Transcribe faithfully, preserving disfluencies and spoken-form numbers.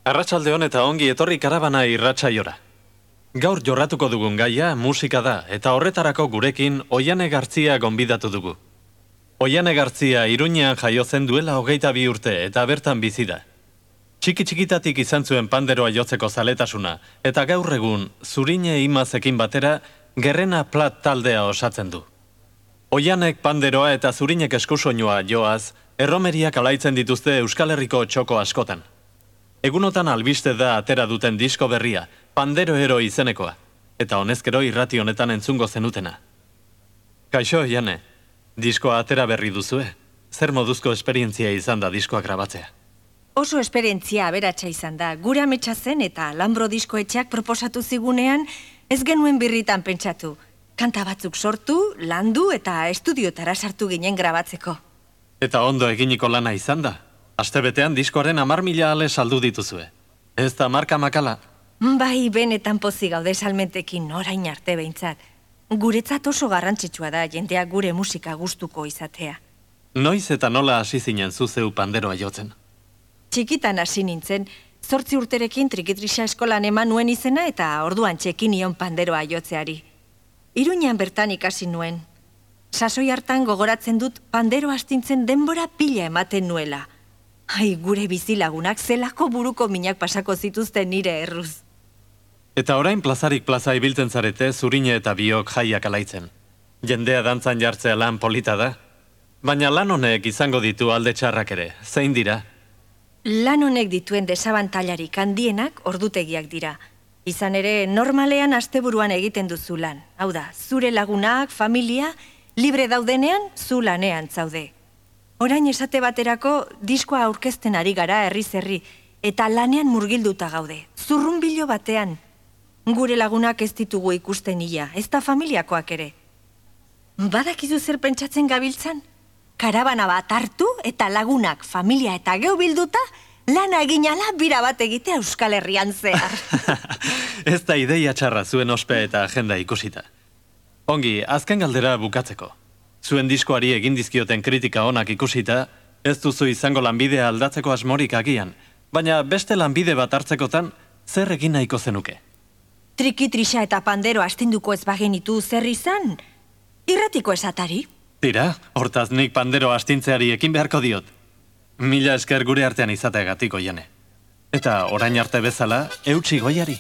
Arratsaldeon eta ongi etorri karabana irratsaiora. Gaur jorratuko dugun gaia musika da eta horretarako gurekin Oiane Gartzia gonbidatu dugu. Oiane Gartzia Iruñean jaio zen duela hogeita bi urte eta bertan bizi da. Txiki txikitatik izan zuen panderoa jotzeko zaletasuna eta gaur egun Zurine Imazekin batera Gerrena Plat taldea osatzen du. Oianek panderoa eta Zurinek eskusoinua joaz, erromeriak alaitzen dituzte Euskal Herriko txoko askotan. Egunotan albiste da atera duten disko berria, Pandero Ero izenekoa, eta honezkero irrati honetan entzungo zenutena. Kaixo, Oiane, diskoa atera berri duzue? Zer moduzko esperientzia izan da diskoa grabatzea? Oso esperientzia aberatsa izan da, gure ametsa zen eta Lambro diskoetxeak proposatu zigunean ez genuen birritan pentsatu. Kanta batzuk sortu, landu eta estudiotara sartu ginen grabatzeko. Eta ondo eginiko lana izan da? Astebetean diskoaren hamar mila ale saldu dituzue. Ez da marka makala? Bai, benetan pozik gaude salmentekin orain arte behintzat. Guretzat oso garrantzitsua da jendeak gure musika gustuko izatea. Noiz eta nola hasi zinen zuzeu panderoa jotzen? Txikitan hasi nintzen, zortzi urterekin trikitrisa eskolan eman nuen izena eta orduan txekin nion panderoa jotzeari. Iruñean bertan ikasi nuen. Sasoi hartan gogoratzen dut pandero astintzen denbora pila ematen nuela. Ai, gure bizilagunak zelako buruko minak pasako zituzten nire erruz. Eta orain plazarik plaza ibiltzen zarete Zurine eta biok jaiak alaitzen. Jendea dantzan jartzea lan polita da. Baina lan honek izango ditu alde txarrak ere, zein dira? Lan honek dituen desabantailarik handienak ordutegiak dira. Izan ere, normalean asteburuan egiten duzu lan. Hau da, zure lagunak, familia, libre daudenean, zu lanean zaude. Orain esate baterako diskoa aurkezten ari gara herriz herri, eta lanean murgilduta gaude, zurrunbilo batean. Gure lagunak ez ditugu ikusten ia, ez da familiakoak ere. Badakizu zer pentsatzen gabiltzan? Karabana bat hartu eta lagunak, familia eta geu bilduta, lana eginala bira bat egitea Euskal Herrian zehar. Ez da ideia txarra zuen ospe eta agenda ikusita. Ongi, azken galdera bukatzeko. Zuen diskoari egin dizkioten kritika onak ikusita, ez duzu izango lanbidea aldatzeko asmorik agian, baina beste lanbide bat hartzekotan, zer egin nahiko zenuke? Trikitrisa eta pandero astinduko ez bagenitu zer izan? Irratiko esatari? Tira, hortaz nik pandero astintzeari ekin beharko diot. Mila esker gure artean izateagatik, Oiane. Eta orain arte bezala, eutsi goiari.